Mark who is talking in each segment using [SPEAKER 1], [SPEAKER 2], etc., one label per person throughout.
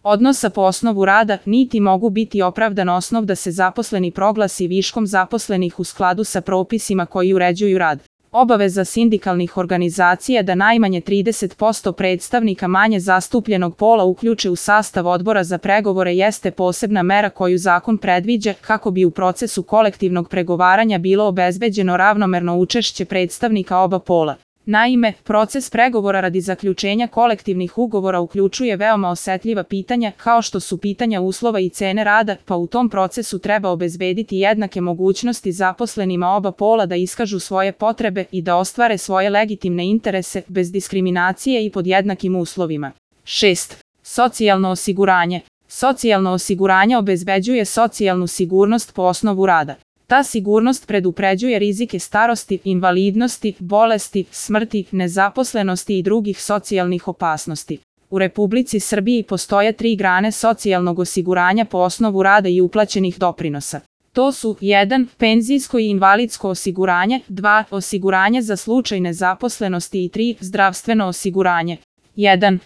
[SPEAKER 1] odnosa po osnovu rada, niti mogu biti opravdan osnov da se zaposleni proglasi viškom zaposlenih u skladu sa propisima koji uređuju rad. Obaveza sindikalnih organizacija da najmanje 30% predstavnika manje zastupljenog pola uključe u sastav odbora za pregovore jeste posebna mera koju zakon predviđa kako bi u procesu kolektivnog pregovaranja bilo obezbeđeno ravnomerno učešće predstavnika oba pola. Naime, proces pregovora radi zaključenja kolektivnih ugovora uključuje veoma osetljiva pitanja kao što su pitanja uslova i cene rada, pa u tom procesu treba obezbediti jednake mogućnosti zaposlenima oba pola da iskažu svoje potrebe i da ostvare svoje legitimne interese bez diskriminacije i pod jednakim uslovima. 6. Socijalno osiguranje. Socijalno osiguranje obezbeđuje socijalnu sigurnost po osnovu rada. Ta sigurnost predupređuje rizike starosti, invalidnosti, bolesti, smrti, nezaposlenosti i drugih socijalnih opasnosti. U Republici Srbiji postoje 3 grane socijalnog osiguranja po osnovu rada i uplaćenih doprinosa. To su 1. Penzijsko i invalidsko osiguranje, 2. Osiguranje za slučaj nezaposlenosti i 3. Zdravstveno osiguranje. 1.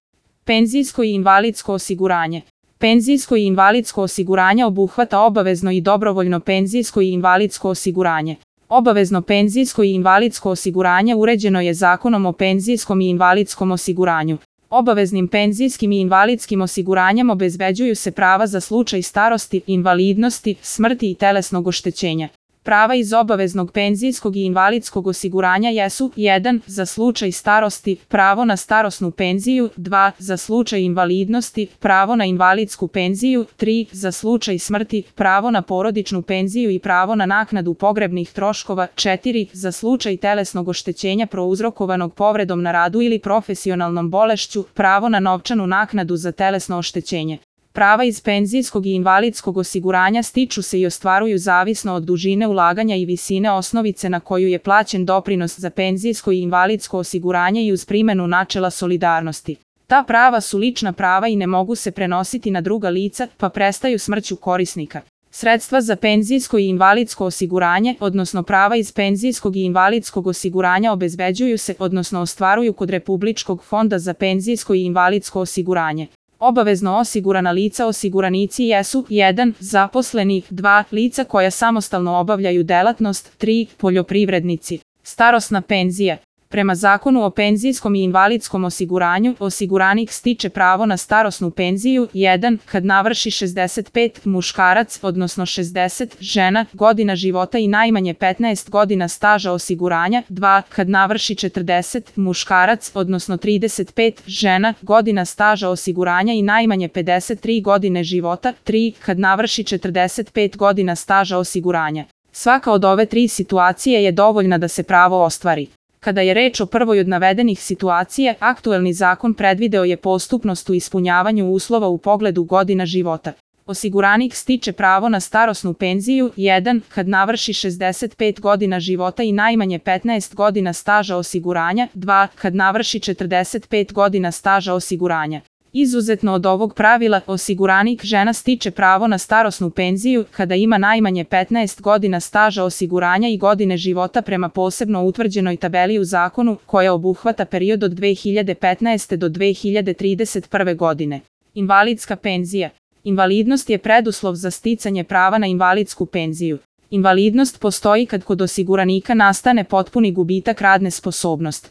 [SPEAKER 1] Penzijsko i invalidsko osiguranje. Penzijsko i invalidsko osiguranje obuhvata obavezno i dobrovoljno penzijsko i invalidsko osiguranje. Obavezno penzijsko i invalidsko osiguranje uređeno je Zakonom o penzijskom i invalidskom osiguranju. Obaveznim penzijskim i invalidskim osiguranjem obezbeđuju se prava za slučaj starosti, invalidnosti, smrti i telesnog oštećenja. Prava iz obaveznog penzijskog i invalidskog osiguranja jesu 1. Za slučaj starosti, pravo na starosnu penziju, 2. Za slučaj invalidnosti, pravo na invalidsku penziju, 3. Za slučaj smrti, pravo na porodičnu penziju i pravo na naknadu pogrebnih troškova, 4. Za slučaj telesnog oštećenja prouzrokovanog povredom na radu ili profesionalnom bolešću, pravo na novčanu naknadu za telesno oštećenje. Prava iz penzijskog i invalidskog osiguranja stiču se i ostvaruju zavisno od dužine ulaganja i visine osnovice na koju je plaćen doprinos za penzijsko i invalidsko osiguranje i uz primjenu načela solidarnosti. Ta prava su lična prava i ne mogu se prenositi na druga lica, pa prestaju smrću korisnika. Sredstva za penzijsko i invalidsko osiguranje, odnosno prava iz penzijskog i invalidskog osiguranja obezbeđuju se, odnosno ostvaruju kod Republičkog fonda za penzijsko i invalidsko osiguranje. Obavezno osigurana lica osiguranici jesu 1. Zaposleni, 2. Lica koja samostalno obavljaju delatnost, 3. Poljoprivrednici. Starosna penzija. Prema Zakonu o penzijskom i invalidskom osiguranju, osiguranik stiče pravo na starosnu penziju 1. Kad navrši 65 muškarac, odnosno 60 žena, godina života i najmanje 15 godina staža osiguranja, 2. Kad navrši 40 muškarac, odnosno 35 žena, godina staža osiguranja i najmanje 53 godine života, 3. Kad navrši 45 godina staža osiguranja. Svaka od ove 3 situacije je dovoljna da se pravo ostvari. Kada je reč o prvoj od navedenih situacija, aktuelni zakon predvideo je postupnost u ispunjavanju uslova u pogledu godina života. Osiguranik stiče pravo na starosnu penziju 1. Kad navrši 65 godina života i najmanje 15 godina staža osiguranja, 2. Kad navrši 45 godina staža osiguranja. Izuzetno od ovog pravila, osiguranik žena stiče pravo na starosnu penziju kada ima najmanje 15 godina staža osiguranja i godine života prema posebno utvrđenoj tabeli u zakonu, koja obuhvata period od 2015. do 2031. godine. Invalidska penzija. Invalidnost je preduslov za sticanje prava na invalidsku penziju. Invalidnost postoji kad kod osiguranika nastane potpuni gubitak radne sposobnosti.